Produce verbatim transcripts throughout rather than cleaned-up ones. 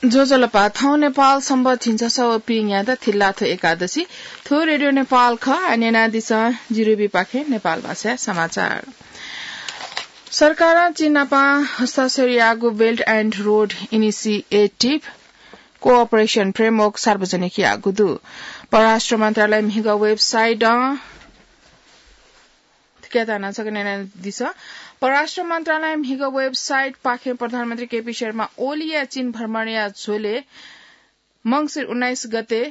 ज्वजलपा, थौं नेपाल संवत् झिंछसः व पीन्यादँ थिल्लाथ्व एकादशी। थ्व रेडियो नेपाल खः। आः न्यनादिसँ जिरुबीपाखें नेपाल भाषाय् समाचार। सरकारं चीन नापं हस्ताक्षर याःगु Belt and Road Initiative Cooperation Framework सार्वजनिक याःगु दु। परराष्ट्र मन्त्रालय म्हिगः वेबसाइटं थुकियात नं छकः न्यनादिसँ। परराष्ट्र मन्त्रालय म्हिगः वेबसाइटपाखें प्रधानमन्त्री केपी शर्मा ओलीया चीन भ्रमणया झ्वलय् मंसिर उन्नाइस गते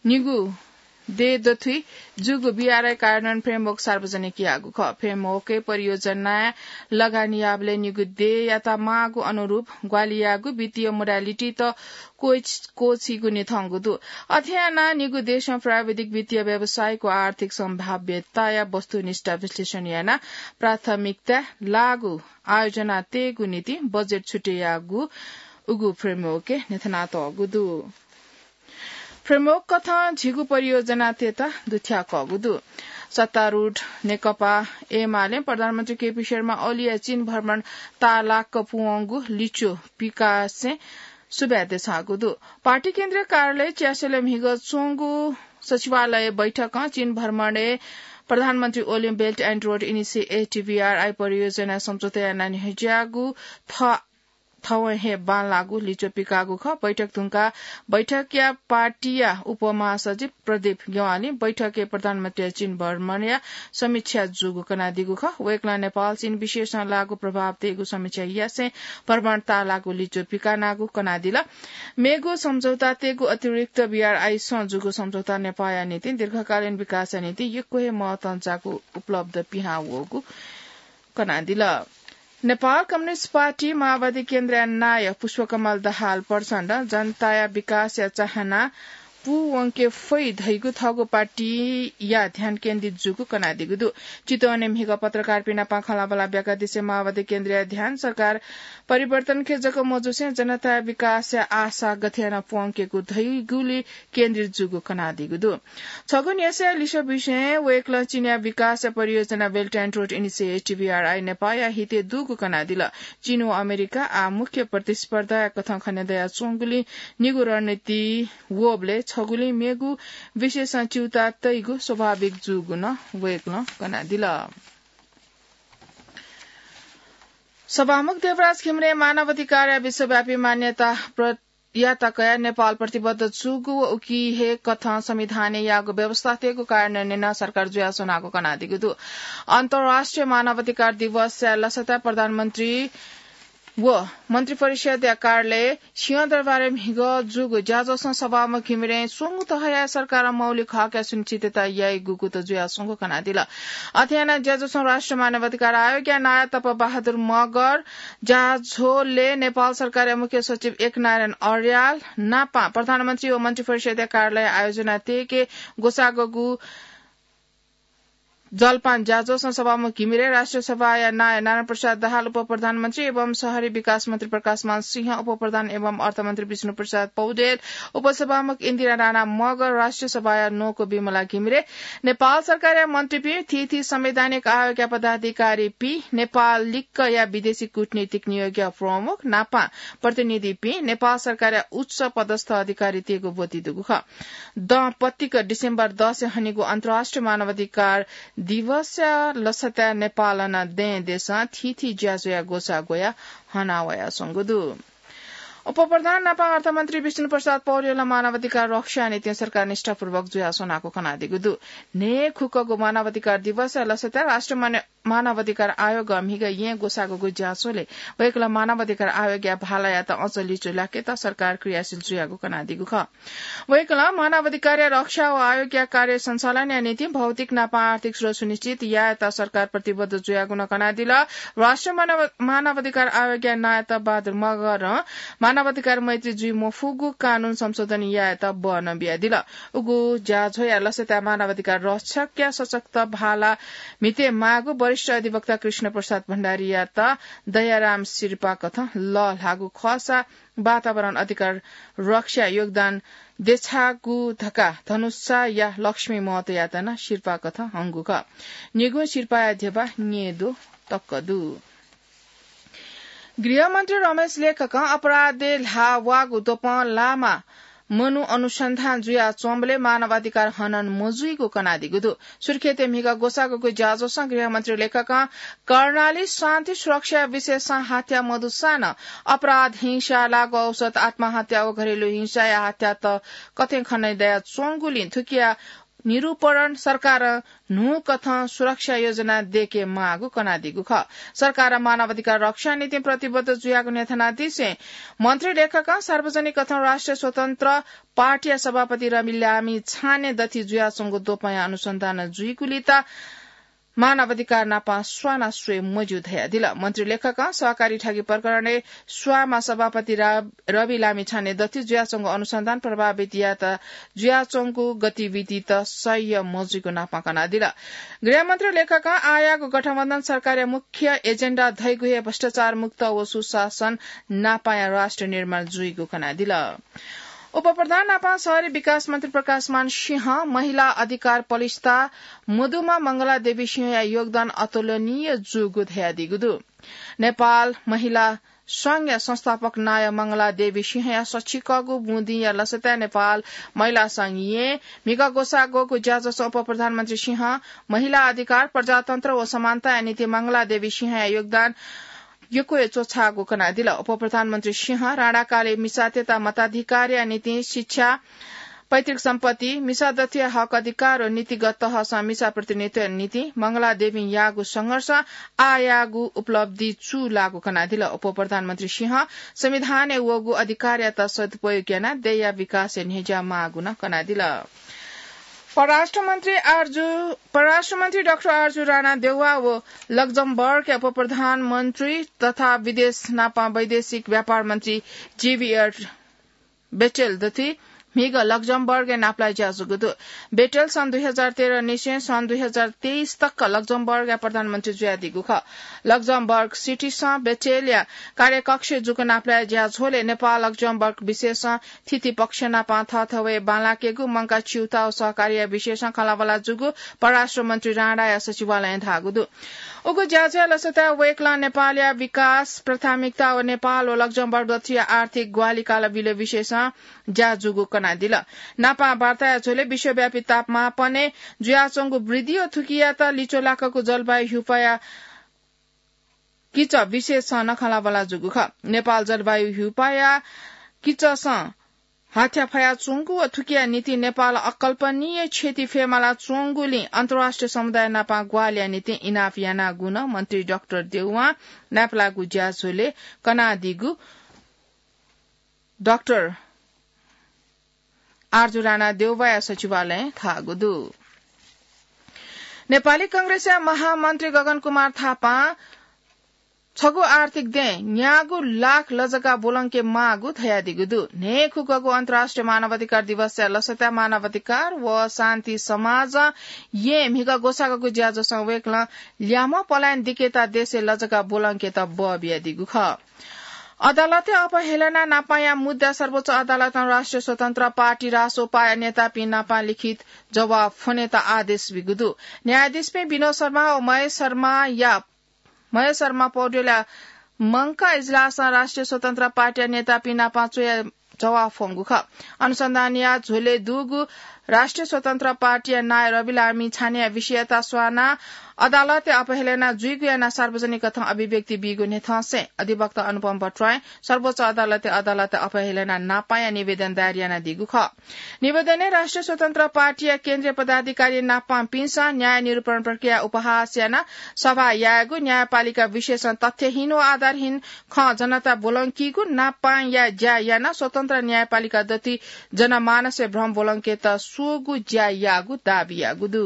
निगू देय् दथुइ जूगु बीआरआई कार्यान्वयन framework सार्वजनिक याःगु खः। Framework-य् परियोजनाय् लगानी याःबलय् निगू देय्‌यात माःगु अनुरूप ग्वाहालि याःगु वित्तीय modality-त क्वय्-, क्वःछीगु निथंगु दु। अथे यानाः निगू देशं प्राविधिक, वित्तीय, व्यावसायिक व आर्थिक सम्भाव्यताया वस्तुनिष्ठ विश्लेषण यानाः प्राथमिकताय् लागू आयोजना तयेगु निंतिं बजेट छुटे याःगु उगु framework-य् न्ह्यथनातःगु दु। Framework कथं झिगू परियोजनातय्‌त दुथ्याकःगु दु। सत्तारूढ नेकपा एमालें प्रधानमन्त्री केपी शर्मा ओलीया चीन भ्रमण ताःलाक पूवंगु लिच्वः पिकासें सुभाय् देछाःगु दु। पार्टी केन्द्रीय कार्यालय च्यासेलय् म्हिगः च्वंगु सचिवालय बैठकं चीन भ्रमणय् प्रधानमन्त्री ओलीं Belt and Road Initiative, BRI, परियोजना सम्झौता यानाः न्ह्यज्याःगु थ थवं हे बांलाःगु लिच्वः पिकाःगु खः। बैठक धुंकाः बैठकया पार्टीया उपमहासचिव प्रदीप ज्ञवालीं बैठकय् प्रधानमन्त्रीया चीन भ्रमणया समीक्षा जूगु कनादीगु खः। वय्‌कलं नेपाल चीन विषयसं लागू प्रभाव तयेगु समीक्षा यासें भ्रमण ताःलाःगु लिच्वः पिकानागु कनादिल। मेगु सम्झौतातय्‌गु अतिरिक्त बीआरआईसं जूगु सम्झौता नेपाःया निंतिं दीर्घकालीन विकासया निंतिं यक्व हे महत्वं जाःगु उपलब्ध पिहां वःगु कनादिल। नेपाल कम्युनिस्ट पार्टी माओवादी केन्द्रया नायः पुष्पकमल दाहाल प्रचण्डं जनताया विकासया चाहना पूवंके फइ धइगु थःगु पार्टीया ध्यान केन्द्रित जूगु कनादीगु दु। चितवनय् म्हिगः पत्रकारपिं नाप खँल्हाबल्हा ब्याकादिसे माओवादी केन्द्रया ध्यान सरकार परिवर्तनके जक मजुसें जनताया विकासया आशा गथे यानाः पूवंकेगु धइगुलि केन्द्रित जूगु कनादीगु दु। छगू न्ह्यसःया लिसः बिसें वय्‌कलं चीनया विकासया परियोजना Belt and Road Initiative, BRI, नेपाःया हितय् दुगु कनादिल। चीन व अमेरिका आः मुख्य प्रतिस्पर्धाया कथं खने दयाच्वंगुलिं निगू रणनीति वःबलय् छगुलिं मेगु विषयसं च्यूताः तइगु स्वाभाविक जूगु नं वय्‌कलं कनादिल। सभामुख देवराज घिमिरें मानवाधिकारया विश्वव्यापी मान्यता प्र-, यात कयाः नेपाल प्रतिबद्ध जूगु व उकी हे कथं संविधानय् याःगु व्यवस्थातय्‌गु कार्यान्वयनय् नं सरकार जुयाच्वनागु कनादीगु दु। अन्तर्राष्ट्रिय मानवाधिकार दिवसया लसताय् प्रधानमन्त्री व मन्त्रिपरिषदया कार्यालय सिंहदरबारय् म्हिगः जूगु ज्याझ्वलय् सभामुख घिमिरें स्वंगू तहया सरकारं मौलिक हकया सुनिश्चितता याइगु कुतः जुयाच्वंगु कनादिल। अथे यानाः ज्याझ्वलय् राष्ट्रिय मानवाधिकार आयोगया नायः तप बहादुर मगर, ज्याझ्वलय् नेपाल सरकारया मुख्य सचिव एकनारायण अर्याल नापं प्रधानमन्त्री व मन्त्रिपरिषदया कार्यालय आयोजना तयेके ग्वसाःगु जलपान ज्याझ्वलय् सभामुख घिमिरे, राष्ट्रिय सभाया नायः नारायण प्रसाद दाहाल, उपप्रधानमन्त्री एवं शहरी विकास मन्त्री प्रकाशमान सिंह, उपप्रधान एवं अर्थमन्त्री विष्णु प्रसाद पौडेल, उपसभामुख इन्दिरा राणा मगर, राष्ट्रिय सभाया न्वंकू विमला घिमिरे, नेपाल सरकारया मन्त्रीपिं, थीथी संवैधानिक आयोगया पदाधिकारीपिं, नेपाल लिक्कया विदेशी कूटनीतिक नियोगया प्रमुख नापं प्रतिनिधिपिं, नेपाल सरकारया उच्च पदस्थ अधिकारीतय्‌गु ब्वति दुगु खः। दँ पतिक डिसेम्बर दसय् हनीगु अन्तर्राष्ट्रिय मानवाधिकार दिवसया लसताय् नेपालं नं दँय् देशं थीथी ज्याझ्वःया ग्वसाः ग्वयाः हनावयाच्वंगु दु। उपप्रधान नापं अर्थमन्त्री विष्णु प्रसाद पौडेलं मानवाधिकार रक्षाया निंतिं सरकार निष्ठापूर्वक जुयाच्वनागु कनादीगु दु। न्हय्‌खुक्कगु मानवाधिकार दिवसया लसताय् राष्ट्रिय मान-, मानवाधिकार आयोगं म्हिगः येँ ग्वसाःगु ज्याझ्वलय् वय्‌कलं मानवाधिकार आयोगया भालायात अझ लिच्वः लाकेत सरकार क्रियाशील जुयागु कनादीगु खः। वय्‌कलं मानवाधिकारया रक्षा व आयोगया कार्य सञ्चालनया निंतिं भौतिक नापं आर्थिक स्रोत सुनिश्चित यायेत सरकार प्रतिबद्ध जुयागु नं कनादिल। राष्ट्रिय मानव-, मानवाधिकार आयोगया नायः तप बहादुर मगरं मानवाधिकार मैत्री जुइ मफुगु कानून संशोधन यायेत बः नं बियादिल। उगु ज्याझ्वःया लसताय् मानवाधिकार रक्षकया सशक्त भाला म्हिते माःगु वरिष्ठ अधिवक्ता कृष्ण प्रसाद भण्डारीयात दयाराम सिरपाः कथं लःल्हाःगु खःसा वातावरण अधिकार रक्षाय् योगदान देछाःगु धकाः धनुषाया लक्ष्मी महतोयात नं सिरपाः कथं हंगु खः। निगुं सिरपाःया ध्यबा न्येद्वः तक दु। गृहमन्त्री रमेश लेखकं अपराधय् ल्हाः वाःगु द्वपं लामा मनू अनुसन्धान जुयाच्वंबलय् मानव अधिकार हनन मजुइगु कनादीगु दु। सुर्खेतय् म्हिगः ग्वसाःगुगु ज्याझ्वलं गृहमन्त्री लेखकं कर्णाली शान्ति सुरक्षा विषयसं हात्या मदुसां नं अपराध, हिंसा, लागू औषध, आत्महत्या व घरेलु हिंसाया हात्यात कथं खने दयाच्वंगुलिं थुकिया निरूपण सरकारं न्हूकथं सुरक्षा योजना दयेके माःगु कनादीगु खः। सरकारं मानव अधिकार रक्षाया निंतिं प्रतिबद्ध जुयागु न्ह्यथनादिसें मन्त्री लेखकं सार्वजनिक कथं राष्ट्रिय स्वतन्त्र पार्टीया सभापति रवि लामिछाने दथुइ जुयाच्वंगु द्वपंया अनुसन्धान जुइगुलिं मानव अधिकार नाप स्वाना स्वये मज्यू धयादिल। मन्त्री लेखकं सहकारी ठगी प्रकरणय् स्वांमा सभापति रा-, रवि लामिछाने दथुइ जुयाच्वंगु अनुसन्धान प्रभावितयात जुयाच्वंगु गतिविधित सह्य मजुइगु नाप कनादिल। गृहमन्त्री लेखकं आःयाःगु गठबन्धन सरकारया मुख्य एजेन्डा धइगु हे भ्रष्टाचार मुक्त व सुशासन नापया राष्ट्र निर्माण जुइगु कनादिल। उपप्रधान नापं शहरी विकास मन्त्री प्रकाशमान सिंह महिला अधिकार पलिस्था मदुमा मंगला देवी सिंहया योगदान अतुलनीय जूगु धयादीगु दु। नेपाल महिला संघया संस्थापक नायः मंगला देवी सिंहया सछिकःगु बुँदिया लसताय् नेपाल महिला संघ येँ म्हिगः ग्वसाः ग्वःगु ज्याझ्वलय् उपप्रधानमन्त्री सिंहं महिला अधिकार, प्रजातन्त्र व समानताया निंतिं मंगला देवी सिंहया योगदान यक्व हे च्वछाःगु कनादिल। उपप्रधानमन्त्री सिंहं राणाकालय् मिसातय्त मताधिकारया निंतिं शिक्षा, पैतृक सम्पत्ति, मिसा दथुया हक अधिकार व नीतिगत तहसं मिसा प्रतिनिधित्वया निंतिं मंगला देवीं याःगु संघर्ष आःयाःगु उपलब्धि चूलाःगु कनादिल। उपप्रधानमन्त्री सिंहं संविधानय् वःगु अधिकारयात सदुपयोग यानाः देय्‌या विकासय् न्ह्यज्याःमाःगु नं कनादिल। परराष्ट्र मन्त्री आरजु, परराष्ट्र मन्त्री डाक्टर आरजु राणा देउवा व लक्जमबर्गया उपप्रधानमन्त्री तथा विदेश नापं वैदेशिक व्यापार मन्त्री जेभियर बेटेल दथुइ म्हिगः लक्जमबर्गय् नापलाये ज्याझ्वःगु दु। बेटेल सन् दुई हजार तेह्र निसें सन् दुई हजार तेइस तक लक्जमबर्गया प्रधानमन्त्री जुयादीगु खः। लक्जमबर्ग सिटीसं बेटेलया कार्यकक्षय् जूगु नापलाये ज्याझ्वलय् नेपाल लक्जमबर्ग विषयसं थीथी पक्ष नापं थःथवय् बांलाकेगु, मंकाः च्यूताः व सहकारीया विषयसं खँल्हाबल्हा जूगु परराष्ट्र मन्त्री राणाया सचिवालयं धाःगु दु। उगु ज्याझ्वःया लसताय् वय्‌कलं नेपालया विकास प्राथमिकता व नेपाल व लक्जमबर्ग दथुया आर्थिक ग्वाहालि कालबिल विषयसं ज्या जूगु कनादिल। नापं वार्ताया झ्वलय् विश्वव्यापी तापमापनय् जुयाच्वंगु वृद्धि व थुकियात लिच्वलाकूगु जलवायु ह्यूपाःया किचः विषयसं नं खँल्हाबल्हा जूगु खः। नेपाल जलवायु ह्यूपाःया किचःसं हाथ्या फयाच्वंगु व थुकिया निंतिं नेपालं अकल्पनीय क्षति फयेमालाच्वंगुलिं अन्तर्राष्ट्रिय समुदाय नापं ग्वाहालिया निंतिं इनाप यानागु नं मन्त्री डाक्टर देउवां नापलाःगु ज्याझ्वलय् कनादीगु डाक्टर आरजु राणा देउवाया सचिवालयं धाःगु दु। नेपाली कांग्रेसया महामन्त्री गगन कुमार थापां छगू आर्थिक दँय् न्यागू लाख लजगाः ब्वलंके माःगु धयादीगु दु। न्हय्‌खुगःगु अन्तर्राष्ट्रिय मानवाधिकार दिवसया लसताय् मानवाधिकार व शान्ति समाजं येँ म्हिगः ग्वसाःगु ज्याझ्वलय् वय्‌कलं ल्याम्ह पलायन दिकेत देशय् लजगाः ब्वलंकेत बः बियादीगु खः। अदालतय् अपहेलना नापाया मुद्दा सर्वोच्च अदालतं राष्ट्रिय स्वतन्त्र पार्टी, रासोपाया नेतापिं नापं लिखित जवाफ फ्वनेत आदेश बीगु दु। न्यायाधीशपिं विनोद शर्मा व महेश शर्माया, महेश शर्मा पौडेलया मंकाः इजलासं राष्ट्रिय स्वतन्त्र पार्टीया नेतापिं नापं च्वया जवाफ फ्वंगु खः। अनुसन्धानया झ्वलय् दुगु राष्ट्रिय स्वतन्त्र पार्टीया नायः रवि लामिछानेया विषयता स्वानाः अदालतय् अपहेलना जुइगु यानाः सार्वजनिक कथं अभिव्यक्ति बीगु न्ह्यथंसें अधिवक्ता अनुपम भट्टराईं सर्वोच्च अदालतय् अदालतय् अपहेलना नापाया निवेदन दायर यानादीगु खः। निवेदनय् राष्ट्रिय स्वतन्त्र पार्टीया केन्द्रीय पदाधिकारी नापंपिन्सं न्याय निरूपण प्रक्रिया उपहास यानाः सभा यायेगु, न्यायपालिका विषयसं तथ्यहीन व आधारहीन खँ जनता ब्वलंकीगु, नापंया ज्या यानाः स्वतन्त्र न्यायपालिका दथुइ जनमानसय् भ्रम ब्वलंकेत स्वःगु ज्या याःगु दाबी याःगु दु।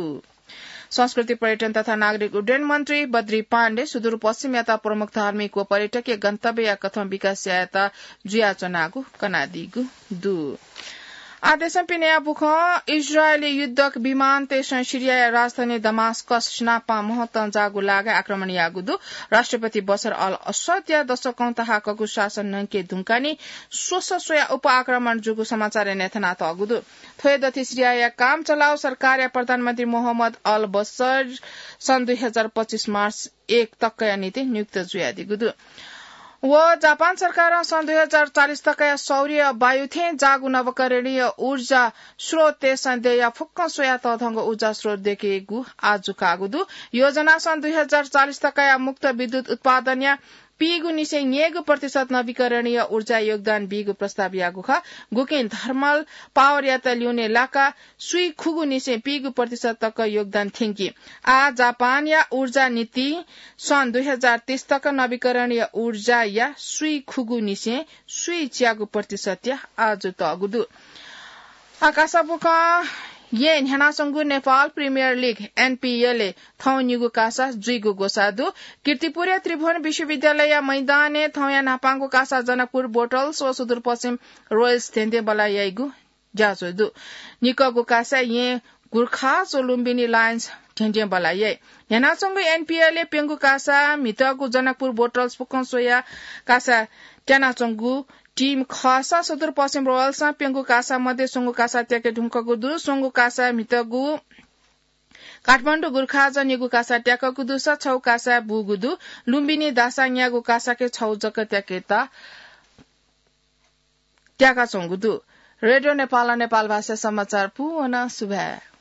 संस्कृति, पर्यटन तथा नागरिक उड्डयन मन्त्री बद्री पाण्डे सुदूरपश्चिमयात प्रमुख धार्मिक व पर्यटकीय गन्तव्यया कथं विकास यायेत जुयाच्वनागु कनादीगु दु। आः देशं पिनेया बुखँ। इजरायली युद्धक विमानतय्सं सिरियाया राजधानी दमास्कस नापं महत्तं जाःगु लागाय् आक्रमण याःगु दु। राष्ट्रपति बशर अल असदया दशकौं तहाकःगु शासन न्हंके धुंकाः नि स्वसः स्वयाः उप आक्रमण जूगु समाचारय् न्ह्यथनातःगु दु। थ्व हे दथुइ सिरियाया काम चलाउ सरकारया प्रधानमन्त्री मोहम्मद अल बशर सन् दुई हजार पच्चिस मार्च एक तकया निंतिं नियुक्त जुयादीगु दु। व जापान सरकारं सन् दुई हजार चालिस तकया सौर्य वायु थें जाःगु नवीकरणीय ऊर्जा स्रोतय् सन्देहया फुक्कं स्वयाः तःधंगु ऊर्जा स्रोत दयेकेगु आजु काःगु दु। योजना सन् दुई हजार चालिस तकया मुक्त विद्युत उत्पादनया पीगु निसें न्ययेगु प्रतिशत नवीकरणीय ऊर्जा योगदान बीगु प्रस्ताव याःगु खः। गुकिं थर्मल पावरयात ल्यूने लाका सुइ खुगु निसें पीगु प्रतिशत तक योगदान थ्यंकी। आ जापानया ऊर्जा नीति सन् दुई हजार तीस तक नवीकरणीय ऊर्जाया सुइ खुगु निसें सुइ च्यागु प्रतिशतया आजु तःगु दु। आकाशा बुखँ येँ न्ह्यानाच्वंगु नेपाल प्रिमियर लिग एनपीएलय् थौं निगू कासा जुइगु ग्वसाः दु। कीर्तिपुरया त्रिभुवन विश्वविद्यालयया मैदानय् थौंया न्हापांगु कासा जनकपुर बोटल्स व सुदूरपश्चिम रोयल्स धेंधेंबल्लाः याइगु ज्याझ्वः दु। निकःगु कासा येँ गुर्खाज व लुम्बिनी लायन्स धेंधेंबल्लाः याइ। न्ह्यानाच्वंगु एनपीएलय् प्यंगू कासा म्हितःगु जनकपुर बोटल्स फुक्कं स्वयाः कासा त्यानाच्वंगु टिम खःसा सुदूरपश्चिम रोयल्सं प्यंगू कासा मध्ये स्वंगू कासा त्याके धुंकूगु दु। स्वंगू कासा म्हितःगु काठमाडौं गुर्खाजं निगू कासा त्याकूगु दुसा छगू कासा बूगु दु। लुम्बिनी दासांयागु कासाके छगू जक त्याकेत त्याकाच्वंगु दु। रेडियो नेपालं नेपाल भाषा समाचार पूवन सुभाय्।